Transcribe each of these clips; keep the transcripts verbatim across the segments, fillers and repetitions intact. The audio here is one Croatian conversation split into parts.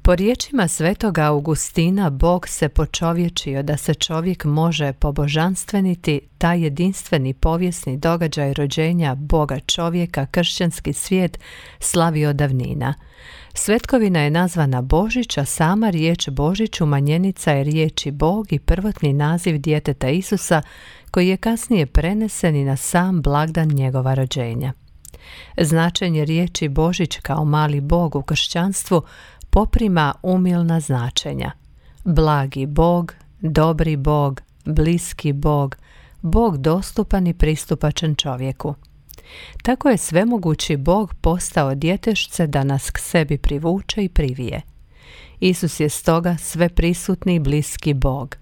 Po riječima svetoga Augustina, Bog se počovječio da se čovjek može pobožanstveniti, taj jedinstveni povijesni događaj rođenja Boga čovjeka kršćanski svijet slavi od davnina. Svetkovina je nazvana Božić, a sama riječ Božić umanjenica je riječi Bog i prvotni naziv djeteta Isusa, koji je kasnije prenesen i na sam blagdan njegova rođenja. Značenje riječi Božić kao mali Bog u kršćanstvu poprima umilna značenja. Blagi Bog, dobri Bog, bliski Bog, Bog dostupan i pristupačan čovjeku. Tako je svemogući Bog postao djetešce da nas k sebi privuče i privije. Isus je stoga sveprisutni i bliski Bog.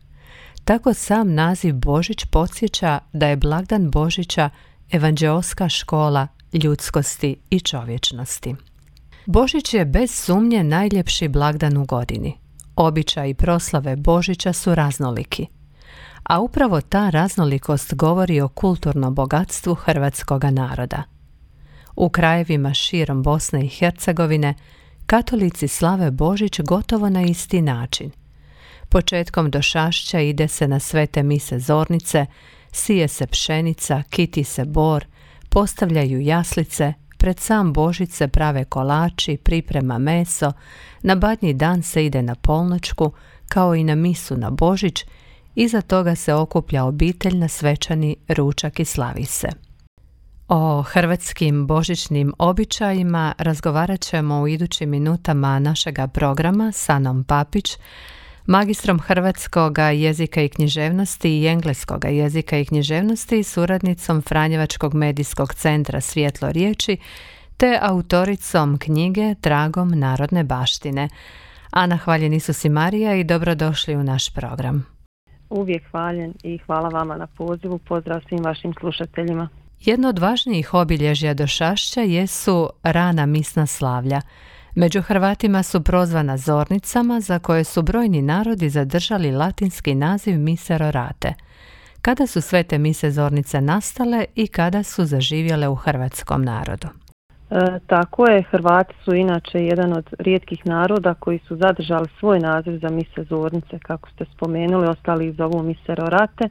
Tako sam naziv Božić podsjeća da je blagdan Božića evanđeoska škola ljudskosti i čovječnosti. Božić je bez sumnje najljepši blagdan u godini. Običaji proslave Božića su raznoliki. A upravo ta raznolikost govori o kulturnom bogatstvu hrvatskoga naroda. U krajevima širom Bosne i Hercegovine katolici slave Božić gotovo na isti način. Početkom došašća ide se na svete mise zornice, sije se pšenica, kiti se bor, postavljaju jaslice, pred sam Božić se prave kolači, priprema meso, na Badnji dan se ide na polnoćku, kao i na misu na Božić, iza toga se okuplja obitelj na svečani ručak i slavi se. O hrvatskim božićnim običajima razgovarat ćemo u idućim minutama našega programa s Anom Papić, magistrom hrvatskog jezika i književnosti i engleskog jezika i književnosti i suradnicom Franjevačkog medijskog centra Svjetlo riječi, te autoricom knjige Tragom narodne baštine. Ana, hvaljen Isus i Marija i dobrodošli u naš program. Uvijek hvaljen i hvala vama na pozivu. Pozdrav svim vašim slušateljima. Jedno od važnijih obilježja došašća jesu rana misna slavlja. Među Hrvatima su prozvana zornicama, za koje su brojni narodi zadržali latinski naziv mise rorate. Kada su sve te mise zornice nastale i kada su zaživjele u hrvatskom narodu? E, tako je, Hrvati su inače jedan od rijetkih naroda koji su zadržali svoj naziv za mise zornice, kako ste spomenuli, ostali ih zovu mise rorate. E,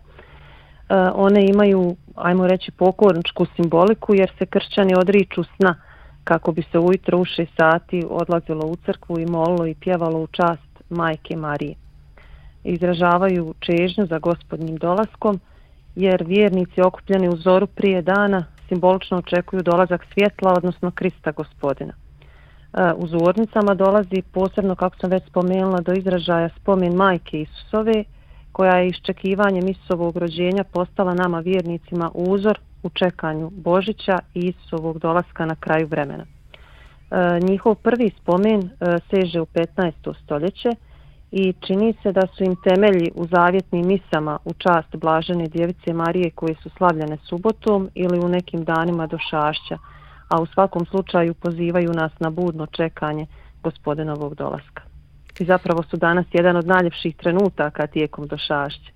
one imaju, ajmo reći, pokorničku simboliku jer se kršćani odriču sna, kako bi se ujutro u šest sati odlazilo u crkvu i molilo i pjevalo u čast Majke Marije. Izražavaju čežnju za Gospodnjim dolaskom, jer vjernici okupljeni u zoru prije dana simbolično očekuju dolazak svjetla, odnosno Krista Gospodina. U zornicama dolazi posebno, kako sam već spomenula, do izražaja spomen Majke Isusove, koja je iščekivanjem Isusovog rođenja postala nama vjernicima uzor u čekanju Božića i Isusovog dolaska na kraju vremena. E, njihov prvi spomen e, seže u petnaesto stoljeće i čini se da su im temelji u zavjetnim misama u čast Blažene Djevice Marije koje su slavljene subotom ili u nekim danima došašća, a u svakom slučaju pozivaju nas na budno čekanje Gospodinovog dolaska. I zapravo su danas jedan od najljepših trenutaka tijekom došašća.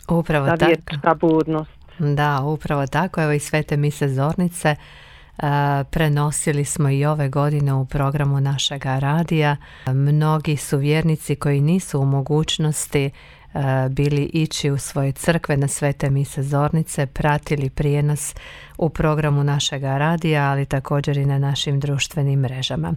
Upravo ta tako. vjernička budnost. Da, upravo tako. Evo i svete mise zornice uh, prenosili smo i ove godine u programu našega radija. Mnogi su vjernici koji nisu u mogućnosti uh, bili ići u svoje crkve na svete mise zornice, pratili prijenos u programu našega radija, ali također i na našim društvenim mrežama.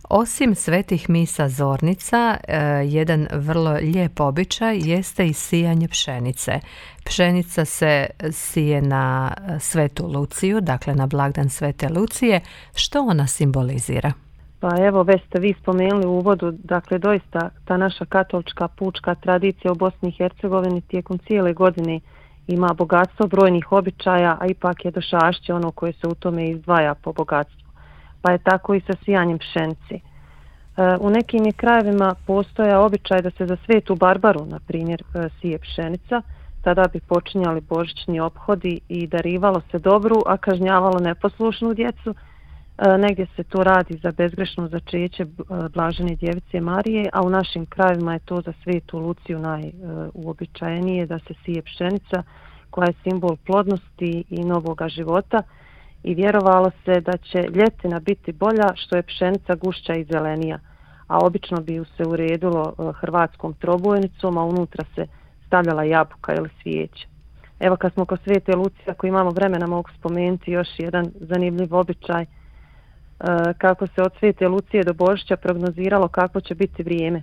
Osim svetih misa zornica, jedan vrlo lijep običaj jeste i sijanje pšenice. Pšenica se sije na Svetu Luciju, dakle na blagdan Svete Lucije. Što ona simbolizira? Pa evo, već ste vi spomenuli u uvodu, dakle doista ta naša katolička pučka tradicija u Bosni i Hercegovini tijekom cijele godine ima bogatstvo brojnih običaja, a ipak je došašće ono koje se u tome izdvaja po bogatstvu. Pa je tako i sa sijanjem pšenice. U nekim je krajevima postoja običaj da se za Svetu Barbaru, na primjer, sije pšenica, tada bi počinjali božićni ophodi i darivalo se dobru, a kažnjavalo neposlušnu djecu. Negdje se to radi za bezgrešno začeće Blažene Djevice Marije, a u našim krajevima je to za Svetu Luciju najuobičajenije da se sije pšenica koja je simbol plodnosti i novoga života. I vjerovalo se da će ljetina biti bolja što je pšenica gušća i zelenija, a obično bi ju se uredilo hrvatskom trobojnicom, a unutra se stavljala jabuka ili svijeće. Evo kad smo kod Svete Lucije, ako imamo vremena mogu spomenuti još jedan zanimljiv običaj, kako se od Svete Lucije do Božića prognoziralo kako će biti vrijeme.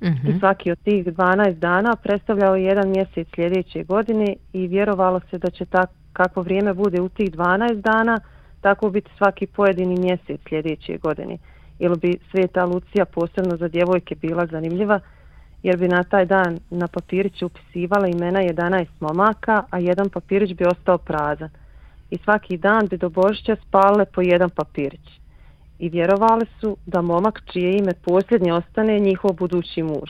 Mm-hmm. I svaki od tih dvanaest dana predstavljao jedan mjesec sljedeće godine i vjerovalo se da će tak, kako vrijeme bude u tih dvanaest dana, tako biti svaki pojedini mjesec sljedeće godine. Ili bi Sveta Lucija posebno za djevojke bila zanimljiva, jer bi na taj dan na papirić upisivala imena jedanaest momaka, a jedan papirić bi ostao prazan. I svaki dan bi do Božića spale po jedan papirić. I vjerovali su da momak čije ime posljednje ostane njihov budući muž.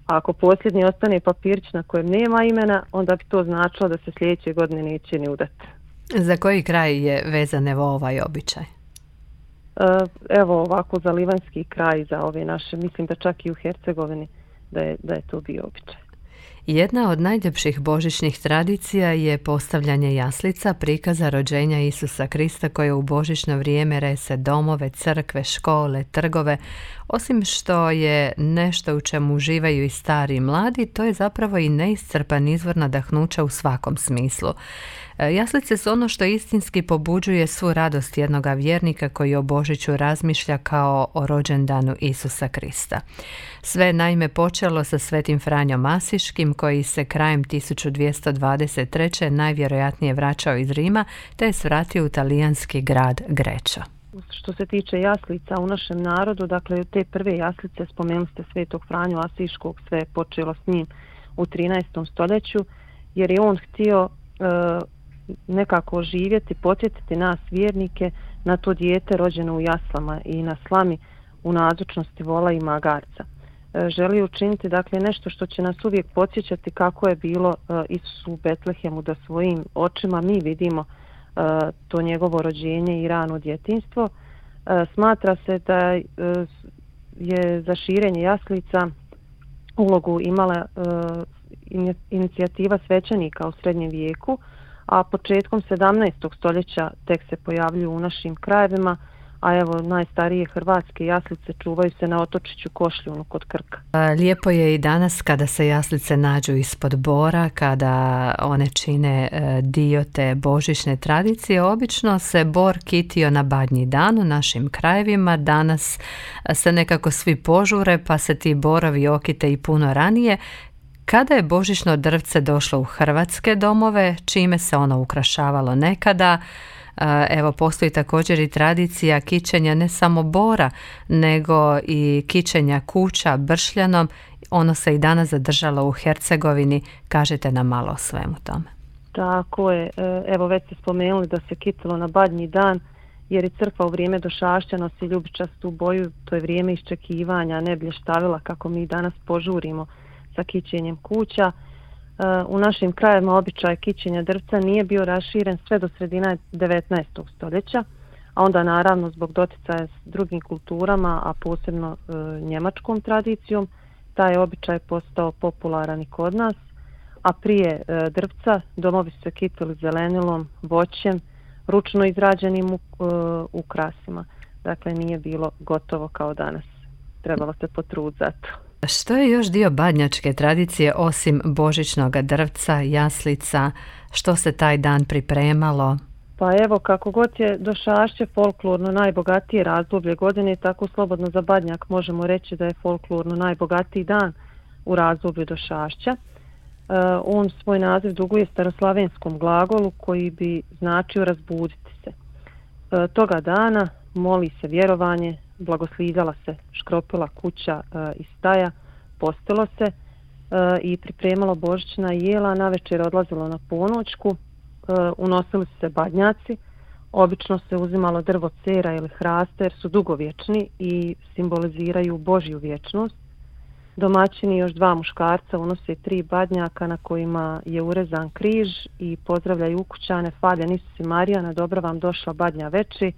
A ako posljednji ostane papirić na kojem nema imena, onda bi to značilo da se sljedeće godine neće ni udati. Za koji kraj je vezan evo ovaj običaj? Evo ovako za livanjski kraj, za ove naše, mislim da čak i u Hercegovini da je, da je to bio običaj. Jedna od najljepših božićnih tradicija je postavljanje jaslica, prikaza rođenja Isusa Krista koje u božićno vrijeme rese domove, crkve, škole, trgove. Osim što je nešto u čemu uživaju i stari i mladi, to je zapravo i neiscrpan izvor nadahnuća u svakom smislu. Jaslice su ono što istinski pobuđuje svu radost jednoga vjernika koji o Božiću razmišlja kao o rođendanu Isusa Krista. Sve naime počelo sa Svetim Franjom Asiškim koji se krajem tisuću dvjesto dvadeset treće najvjerojatnije vraćao iz Rima te je svratio u talijanski grad Grečo. Što se tiče jaslica u našem narodu, dakle te prve jaslice, spomenuli ste Svetog Franju Asiškog, sve je počelo s njim u trinaestom stoljeću, jer je on htio e, nekako oživjeti, podsjetiti nas vjernike na to dijete rođeno u jaslama i na slami u nazočnosti vola i magarca. E, želi učiniti dakle nešto što će nas uvijek podsjećati kako je bilo e, Isusu u Betlehemu, da svojim očima mi vidimo e, to njegovo rođenje i rano djetinjstvo. E, smatra se da e, je za širenje jaslica ulogu imala e, inicijativa svećenika u srednjem vijeku, a početkom sedamnaestog stoljeća tek se pojavljuju u našim krajevima, a evo najstarije hrvatske jaslice čuvaju se na otočiću Košljunu kod Krka. Lijepo je i danas kada se jaslice nađu ispod bora, kada one čine dio te božićne tradicije. Obično se bor kitio na Badnji dan u našim krajevima, danas se nekako svi požure pa se ti borovi okite i puno ranije. Kada je božićno drvce došlo u hrvatske domove, čime se ono ukrašavalo nekada, evo postoji također i tradicija kićenja ne samo bora, nego i kićenja kuća bršljanom. Ono se i danas zadržalo u Hercegovini. Kažete nam malo o svemu tome. Tako je. Evo već ste spomenuli da se kitilo na Badnji dan, jer je crkva u vrijeme došašća nosi ljubičastu boju. To je vrijeme iščekivanja, ne blještavila kako mi danas požurimo sa kićenjem kuća. U našim krajevima običaj kićenja drvca nije bio raširen sve do sredine devetnaestog stoljeća, a onda naravno zbog doticaja s drugim kulturama, a posebno e, njemačkom tradicijom, taj običaj postao popularan i kod nas, a prije e, drvca domovi su se kitili zelenilom, voćem, ručno izrađenim e, ukrasima. Dakle, nije bilo gotovo kao danas. Trebalo se potruditi za to. Što je još dio badnjačke tradicije osim božićnog drvca, jaslica? Što se taj dan pripremalo? Pa evo, kako god je došašće folklorno najbogatije razdoblje godine, tako slobodno za Badnjak možemo reći da je folklorno najbogatiji dan u razdoblju došašća. E, on svoj naziv duguje staroslavenskom glagolu koji bi značio razbuditi se. E, toga dana moli se vjerovanje, blagoslivljala se škropila kuća e, i staja, postilo se e, i pripremalo božićna jela, navečer odlazilo na ponoćku, e, unosili su se badnjaci, obično se uzimalo drvo cera ili hrasta jer su dugovječni i simboliziraju Božju vječnost. Domaćini još dva muškarca unose tri badnjaka na kojima je urezan križ i pozdravljaju ukućane, hvaljen Isus i Marija, na dobro vam došla badnja veči,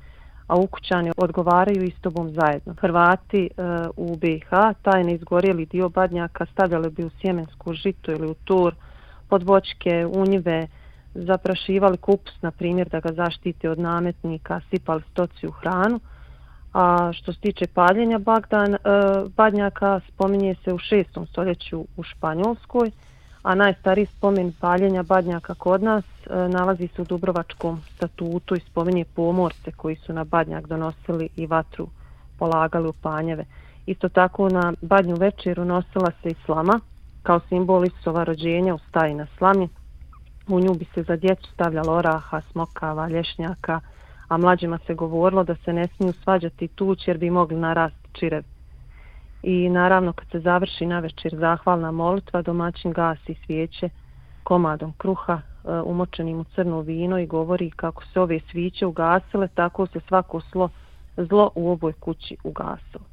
a ukućani odgovaraju istobom zajedno. Hrvati e, u B i H taj neizgorjeli dio badnjaka stavljali bi u sjemensku žitu ili u tur, pod voćke, u njive, zaprašivali kupus, na primjer, da ga zaštite od nametnika, sipali stoci u hranu, A što se tiče paljenja bagdan, e, badnjaka, spominje se u šestom stoljeću u Španjolskoj, a najstariji spomen paljenja badnjaka kod nas e, nalazi se u Dubrovačkom statutu i spominje pomorce koji su na badnjak donosili i vatru polagali u panjeve. Isto tako na badnju večeru nosila se i slama kao simbol Isusova rođenja u staji na slami. U nju bi se za djecu stavljalo oraha, smokava, lješnjaka, a mlađima se govorilo da se ne smiju svađati tući jer bi mogli narasti čirevi. I naravno kad se završi navečer zahvalna molitva, domaćin gasi svijeće komadom kruha e, umočenim u crno vino i govori kako se ove sviće ugasile, tako se svako slo, zlo u ovoj kući ugasilo.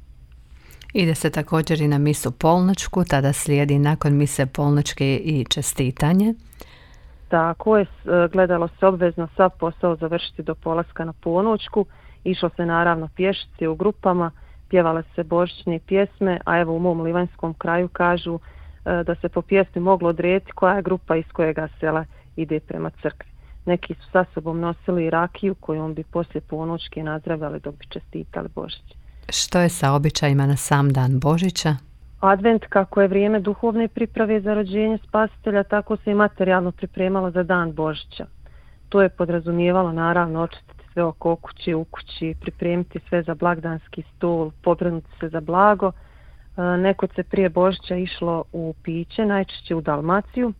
Ide se također i na misu polnoćku, tada slijedi nakon mise polnoćke i čestitanje. Tako je, gledalo se obvezno sav posao završiti do polaska na ponoćku, išlo se naravno pješice u grupama, pjevale se božićne pjesme, a evo u mom livanjskom kraju kažu da se po pjesmi moglo odrediti koja je grupa iz kojega sela ide prema crkvi. Neki su sa sobom nosili rakiju kojom bi poslije ponoćke nazdravljali dok bi čestitali Božić. Što je sa običajima na sam dan Božića? Advent, kako je vrijeme duhovne priprave za rođenje Spasitelja, tako se i materijalno pripremalo za dan Božića. To je podrazumijevalo naravno očistiti sve oko kuće, u kući, pripremiti sve za blagdanski stol, pobrinuti se za blago. Nekod se prije Božića išlo u piće, najčešće u Dalmaciju.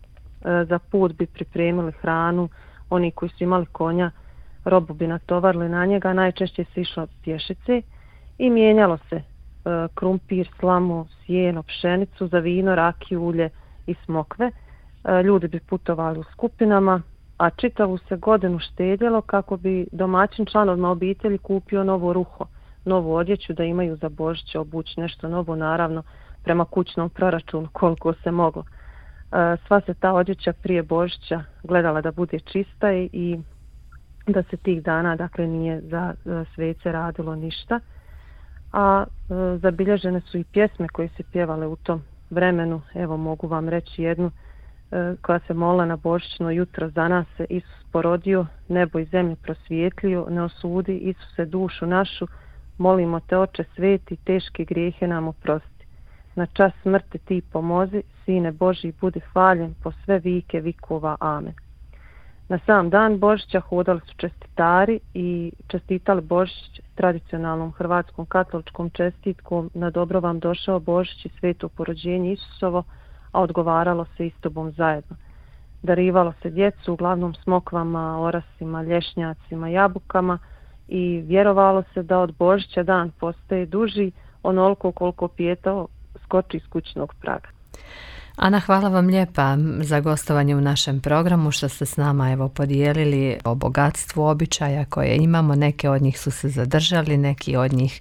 Za put bi pripremili hranu, oni koji su imali konja, robu bi natovarili na njega, najčešće se išlo pješice i mijenjalo se krumpir, slamu, sjeno, pšenicu, za vino, rakiju, ulje i smokve. Ljudi bi putovali u skupinama, a čitavu se godinu štedjelo kako bi domaćin članovima obitelji kupio novo ruho, novu odjeću da imaju za Božić obući nešto novo, naravno prema kućnom proračunu koliko se moglo. Sva se ta odjeća prije Božića gledala da bude čista i da se tih dana, dakle, nije za svece radilo ništa. A e, zabilježene su i pjesme koje se pjevale u tom vremenu. Evo mogu vam reći jednu e, koja se molila na božićno jutro: za nas se Isus porodio, nebo i zemlju prosvijetlio, ne osudi Isuse dušu našu, molimo te Oče sveti, teške grijehe nam oprosti. Na čas smrti ti pomozi, Sine Božji budi hvaljen po sve vike vikova. Amen. Na sam dan Božića hodali su čestitari i čestitali Božić tradicionalnom hrvatskom katoličkom čestitkom: na dobro vam došao Božić i sveto porođenje Isusovo, a odgovaralo se istobom zajedno. Darivalo se djecu uglavnom smokvama, orasima, lješnjacima, jabukama i vjerovalo se da od Božića dan postaje duži onoliko koliko pijetao skoči iz kućnog praga. Ana, hvala vam lijepa za gostovanje u našem programu, što ste s nama evo podijelili o bogatstvu običaja koje imamo. Neke od njih su se zadržali, neki od njih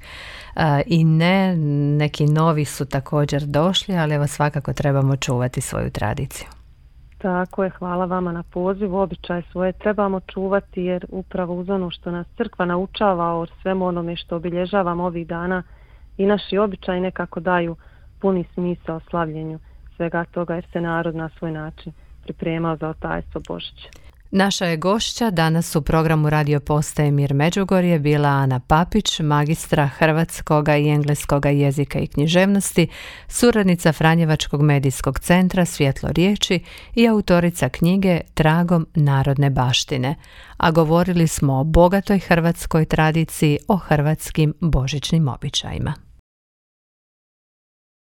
uh, i ne, neki novi su također došli, ali evo svakako trebamo čuvati svoju tradiciju. Tako je, hvala vama na pozivu. Običaje svoje trebamo čuvati jer upravo uz ono što nas crkva naučava o svemu onome što obilježavamo ovih dana i naši običaji nekako daju puni smisao slavljenju svega toga jer se narod na svoj način pripremao za otajstvo Božića. Naša je gošća danas u programu Radio Postaje Mir Međugorje bila Ana Papić, magistra hrvatskoga i engleskoga jezika i književnosti, suradnica Franjevačkog medijskog centra Svjetlo riječi i autorica knjige Tragom narodne baštine. A govorili smo o bogatoj hrvatskoj tradiciji, o hrvatskim božićnim običajima.